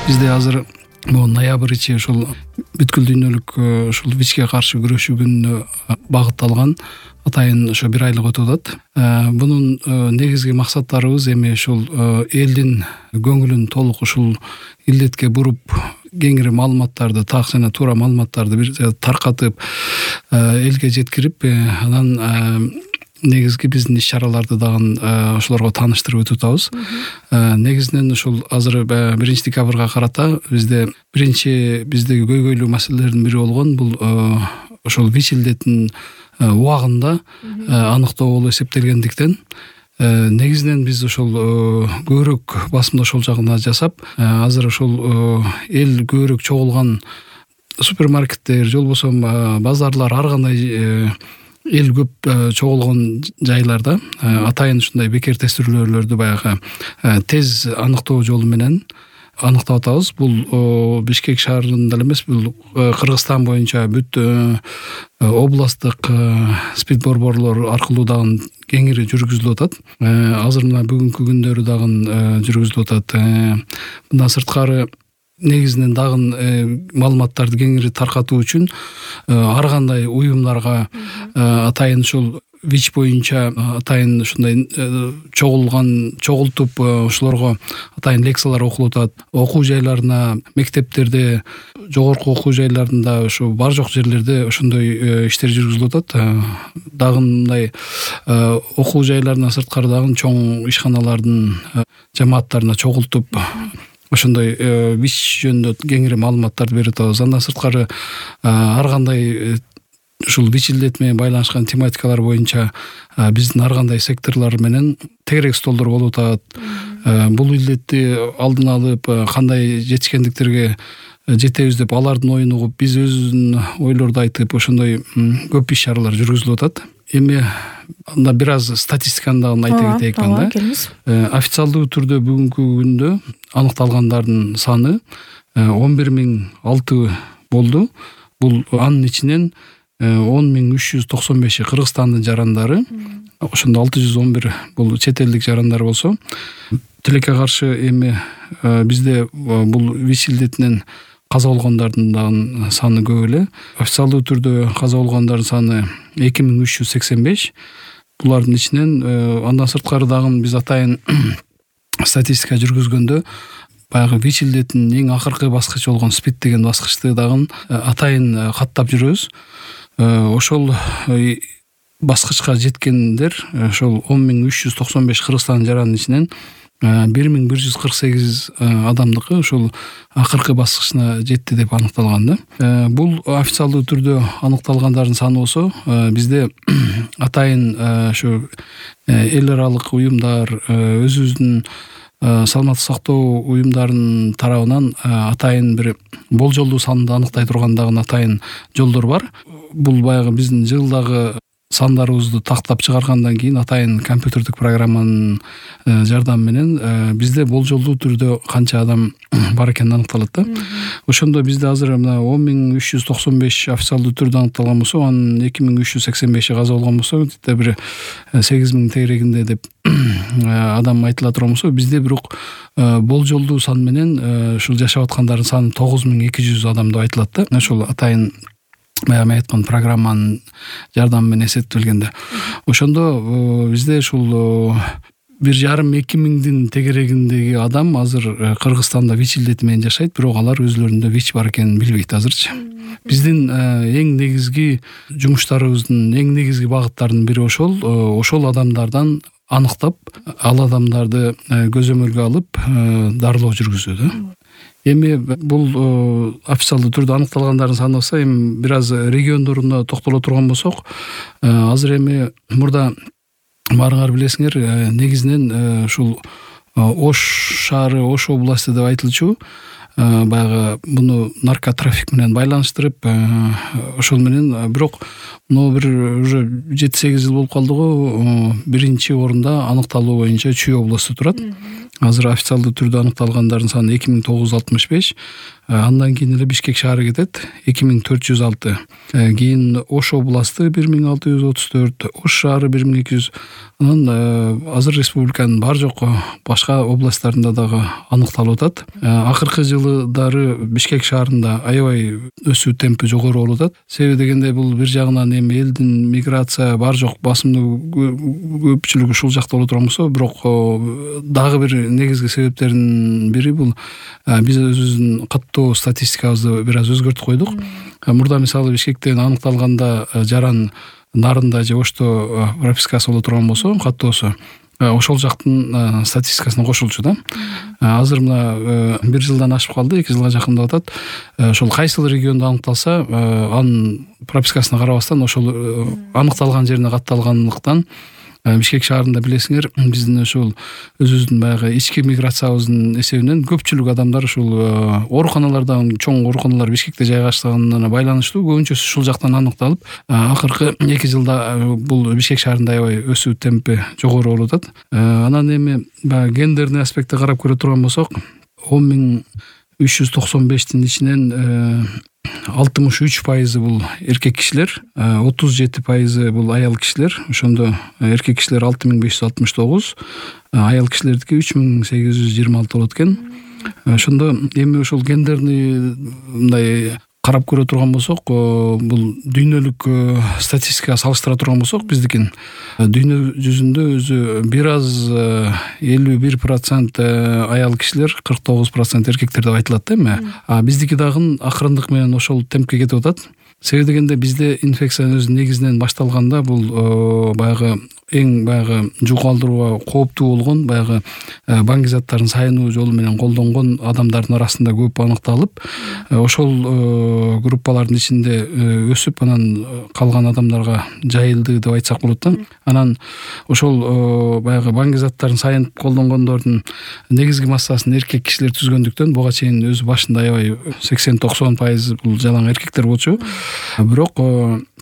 Бизде азыр могу ноябрь ичи ушул бүткүл дүйнөлүк ушул ВИЧке каршы күрөшүү күнүнө багытталган атайын ошо бир айлык өтүп атат. Бунун негизги максаттарыбыз эми ушул элдин көңүлүн толук ушул илдетке буруп, кеңири маалыматтарды, так жана туура маалыматтарды бир таркатып, элге жеткирип, анан негизги биздин иш-чараларды дагы ошолорго тааныштырып өтүп атабыз. Негизинен ушул азыр 1 декабрга карата биздеги көйгөйлүү маселелердин бири болгон бул ошол ВИЧ илдетин убагында аныктоо болуп эсептелгендиктен негизинен биз ошол көбүрөөк басымды ошол жагына жасап, азыр ошол эл көбүрөөк чогулган супермаркеттер же болбосо базарлар, ар кандай эл көп чогулгон жайларда атайын ушундай бекер тестирүүлөрдү баягы тез аныктоо жолу менен аныктап атабыз. Бул Бишкек шаарында эле эмес, бул Кыргызстан боюнча бүт областтык спид борборлор аркылуу дагы кеңири жүргүзүлүп атат. Азыр мына бүгүнкү күндөрү дагы жүргүзүлүп атат. Мындан сырткары негизинен дагы маалыматтарды кеңири таркатуу үчүн ар кандай уюмдарга атайын ушул ВИЧ боюнча атайын ушундай чогултуп ошолорго атайын лекциялар окулуп атат. Окуу жайларына, мектептерде, жогорку окуу жайларында, ошо бар жок жерлерде ошондой иштер жүргүзүлүп атат. Дагы мындай окуу жайларынан сырткары дагы чоң ишканалардын жамааттарына чогултуп ошондой ВИЧ жөнүндө кеңири маалыматтарды берип атабыз. Андан сырткары ар кандай ушул ВИЧ илдети менен байланышкан тематикалар боюнча биздин ар кандай секторлор менен тегерек столдор болуп атат. Бул илдетти алдын алып кандай жетишкендиктерге жетебиз деп алардын оюн угуп, биз өзүбүздүн ойлорду айтып, ошондой көп иш-чаралар жүргүзүлүп атат. Эми анда бир аз статистиканы дагы айта кетейик анда. Официалдуу түрдө бүгүнкү күндө аныкталгандардын саны 11006 болду. Бул анын ичинен 10395 Кыргызстандын жарандары, ошондо 611 бул чет элдик жарандар болсо, тилекке каршы эми бизде бул ВИЧ илдетинен каза болгондордун дагы саны көп эле. Официалдуу түрдө каза болгондордун саны 2385. Булардын ичинен андан сырткары дагы биз атайын статистика жүргүзгөндө баягы ВИЧ илдетинин эң акыркы баскычы болгон СПИД деген баскычты дагы атайын каттап жүрөбүз. Ошол баскычка жеткендер ошол 10395 Кыргызстандын жаранын ичинен 1148 адамдыкы ошол акыркы баскычына жетти деп аныкталган да. Бул официалдуу түрдө аныкталгандардын саны болсо, бизде атайын ошо эл аралык уюмдар, өзүбүздүн саламаттык сактоо уюмдарынын тарабынан атайын бир болжолдуу санды аныктай турган дагы атайын жолдор бар. Бул баягы биздин жылдагы сандарыбызды тактап чыгаргандан кийин атайын компьютердик программанын жардамы менен бизде болжолдуу түрдө канча адам бар экени аныкталат да. Ошондо бизде азыр мына 10395 официалдуу түрдө аныкталган болсо, анын 2385 каза болгон болсо, бир 8000 тегерегинде деп адам айтыла турган болсо, бизде бирок болжолдуу сан менен ушул жашап аткандардын саны 9200 адам деп айтылат да. Ошол атайын мен айткан программанын жардамы менен эсептелгенде. Ошондо бизде ушул 1,5-2 миңдин тегерегиндеги адам азыр Кыргызстанда ВИЧ илдети менен жашайт, бирок алар өзлөрүндө ВИЧ бар экенин билбейт азырчы. Биздин эң негизги жумуштарыбыздын эң негизги багыттарынын бири ошол адамдардан аныктап, ал адамдарды көзөмөлгө алып дарылоо жүргүзүү да. Эми бул официалдуу түрдө аныкталгандардын саны болсо, эми бир аз региондоруна токтоло турган болсок, азыр эми мурда баарыңар билесиңер, негизинен ушул Ош шаары, Ош областы деп айтылчу, баягы буну наркотрафик менен байланыштырып, ошол менен бирок но бир уже 7-8 жыл болуп калды го, биринчи орунда аныкталуу боюнча Чүй областу турат. Азыр официалдуу түрдө аныкталгандардын саны 2965. Андан кийин эле Бишкек шаары кетет 2406. Кийин Ош областы 1634, Ош шаары 1200. Анан азыр республиканын бар жок башка областтарында дагы аныкталып атат. Акыркы жылдары Бишкек шаарында аябай өсүү темпи жогору болуп атат. Себеби дегенде бул бир жагынан эми элдин миграция бар жок басымдуу көпчүлүгү ушул жакта боло турган болсо, бирок дагы бир негизги себептердин бири бул биз өзүбүздүн каттоо статистикабызды бир аз өзгөртүп койдук. Мурда мисалы Бишкектен аныкталганда жаран Нарында же Ошто пропискасы боло турган болсо, каттоосу ошол жактын статистикасына кошулчу да. Азыр мына 1 жылдан ашып калды, 2 жылга жакындап атат. Ошол кайсыл региондо аныкталса, анын пропискасына карабастан ошол аныкталган жерине катталгандыктан Бишкек шаарында билесиңер, биздин ушул өзүбүздүн баягы ички миграциябыздын эсебинен көпчүлүк адамдар ушул ооруканалардан, чоң ооруканалар Бишкекте жайгашканына байланыштуу көбүнчөсү ушул жактан аныкталып, акыркы 2 жылда бул Бишкек шаарында аябай өсүү темпи жогору болуп атат. Анан эми баягы гендерный аспектти карап көрө турган болсок, 10.395-тин ичинен 63% бул эркек кишилер, 37% бул аял кишилер. Ошондо эркек кишилер 6569, аял кишилердики 3826 болот экен. Ошондо эми ошол гендерный мындай карап көрө турган болсок, бул дүйнөлүк статистикага салыштыра турган болсок, биздикин дүйнө жүзүндө өзү бир аз 51% аял кишилер, 49% эркектер деп айтылат да эми. Биздики дагы акырындык менен ошол темпке кетип атат. Себеби дегенде бизде инфекциянын өзү негизинен башталганда бул баягы эң баягы жугалтууга кооптуу болгон баягы баңги заттарын сайынуу жолу менен колдонгон адамдардын арасында көп аныкталып, ошол группалардын ичинде өсүп, анан калган адамдарга жайылды деп айтсак болот да. Анан ошол баягы баңги заттарын сайынып колдонгондордун негизги массасын эркек кишилер түзгөндүктөн буга чейин өзү башында аябай 80-90% бул жалаң эркектер болчу. Бирок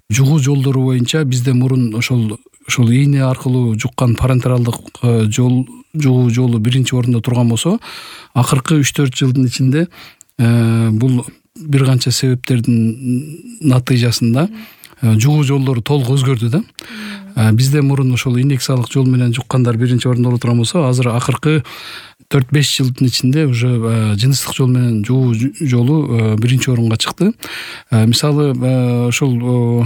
жугуу жолдору боюнча бизде мурун ошол ийне аркылуу жуккан парентералдык жугуу жолу биринчи орунда турган болсо, акыркы 3-4 жылдын ичинде бул бир канча себептердин натыйжасында жугуу жолдору толук өзгөрдү да. Бизде мурун ошол инъекциялык жол менен жуккандар биринчи орунда боло турган болсо, азыр акыркы 4-5 жылдын ичинде уже жыныстык жол менен жугуу жолу биринчи орунга чыкты. Мисалы ошол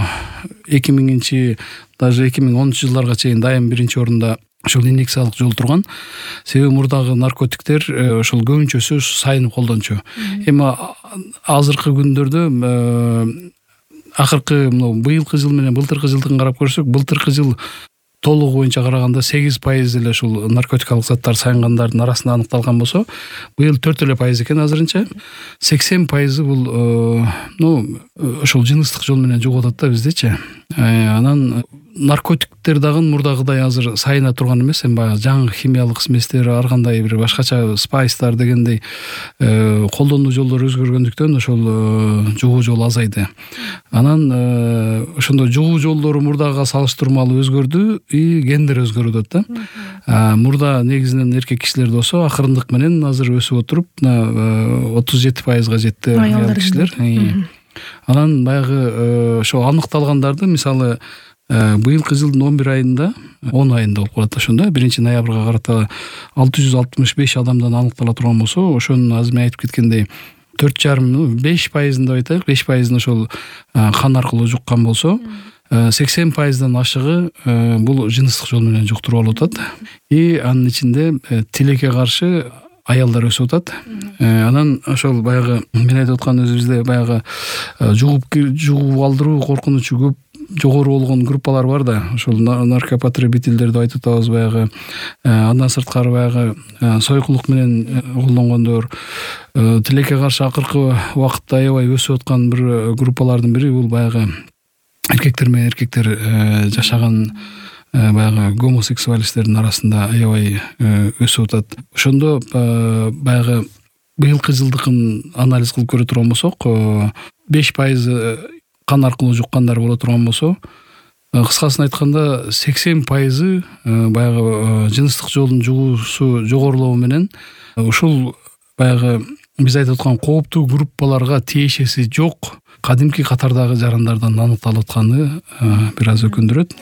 2000-чи, даже 2010 жылдарга чейин дайым биринчи орунда ошол инъекциялык жол турган. Себеби мурдагы наркотиктер ошол көбүнчөсү сайынып колдончу. Эми азыркы күндөрдө акыркы быйылкы жыл менен былтыркы жылдын карап көрсөк, былтыркы жыл толугу боюнча караганда 8% эле ушул наркотикалык заттар сайынгандардын арасында аныкталган болсо, быйыл 4% экен азырынча. 80% бул ошол жыныстык жол менен жугуп атат да биздечи. Анан наркотиктер дагы мурдагыдай азыр сайына турган эмес, эми баягы жаңы химиялык сместер, ар кандай бир башкача спайстар дегендей колдонуу жолдору өзгөргөндүктөн ошол жугуу жол азайды. Анан ошондо жугуу жолдору мурдага салыштырмалуу өзгөрдү, и гендер өзгөрүп атат да. Мурда негизинен эркек кишилер болсо, акырындык менен азыр өсүп отуруп 37%га жетти аял кишилер. Анан баягы ошо аныкталгандарды мисалы быйылкы жылдын 11 айында, 10 айында болуп калат ошондо, 1-ноябрга карата 665 адамдан аныктала турган болсо, ошонун азыр мен айтып кеткендей 4,5% деп айтайык, 5% ошол кан аркылуу жуккан болсо, 80%дан ашыгы бул жыныстык жол менен жуктуруп алып атат. И анын ичинде тилекке каршы аялдар өсүп атат. Анан ошол баягы мен айтып аткан өзүбүздө баягы жугуп алдыруу коркунучу көп жогору болгон группалар бар да. Ошол наркопотребительдер деп айтып атабыз баягы. Андан сырткары баягы сойкулук менен колдонгондор, тилекке каршы акыркы убакытта аябай өсүп аткан бир группалардын бири бул баягы эркектер менен эркектер жашаган баягы гомосексуалисттердин арасында аябай өсүп атат. Ошондо баягы быйылкы жылдыкын анализ кылып көрө турган болсок, 5% кан аркылуу жуккандар боло турган болсо, кыскасын айтканда 80% баягы жыныстык жолдун жугуусу жогорулоо менен ушул баягы биз айтып аткан кооптуу группаларга тиешеси жок кадимки катардагы жарандардан аныкталып атканы бир аз өкүндүрөт.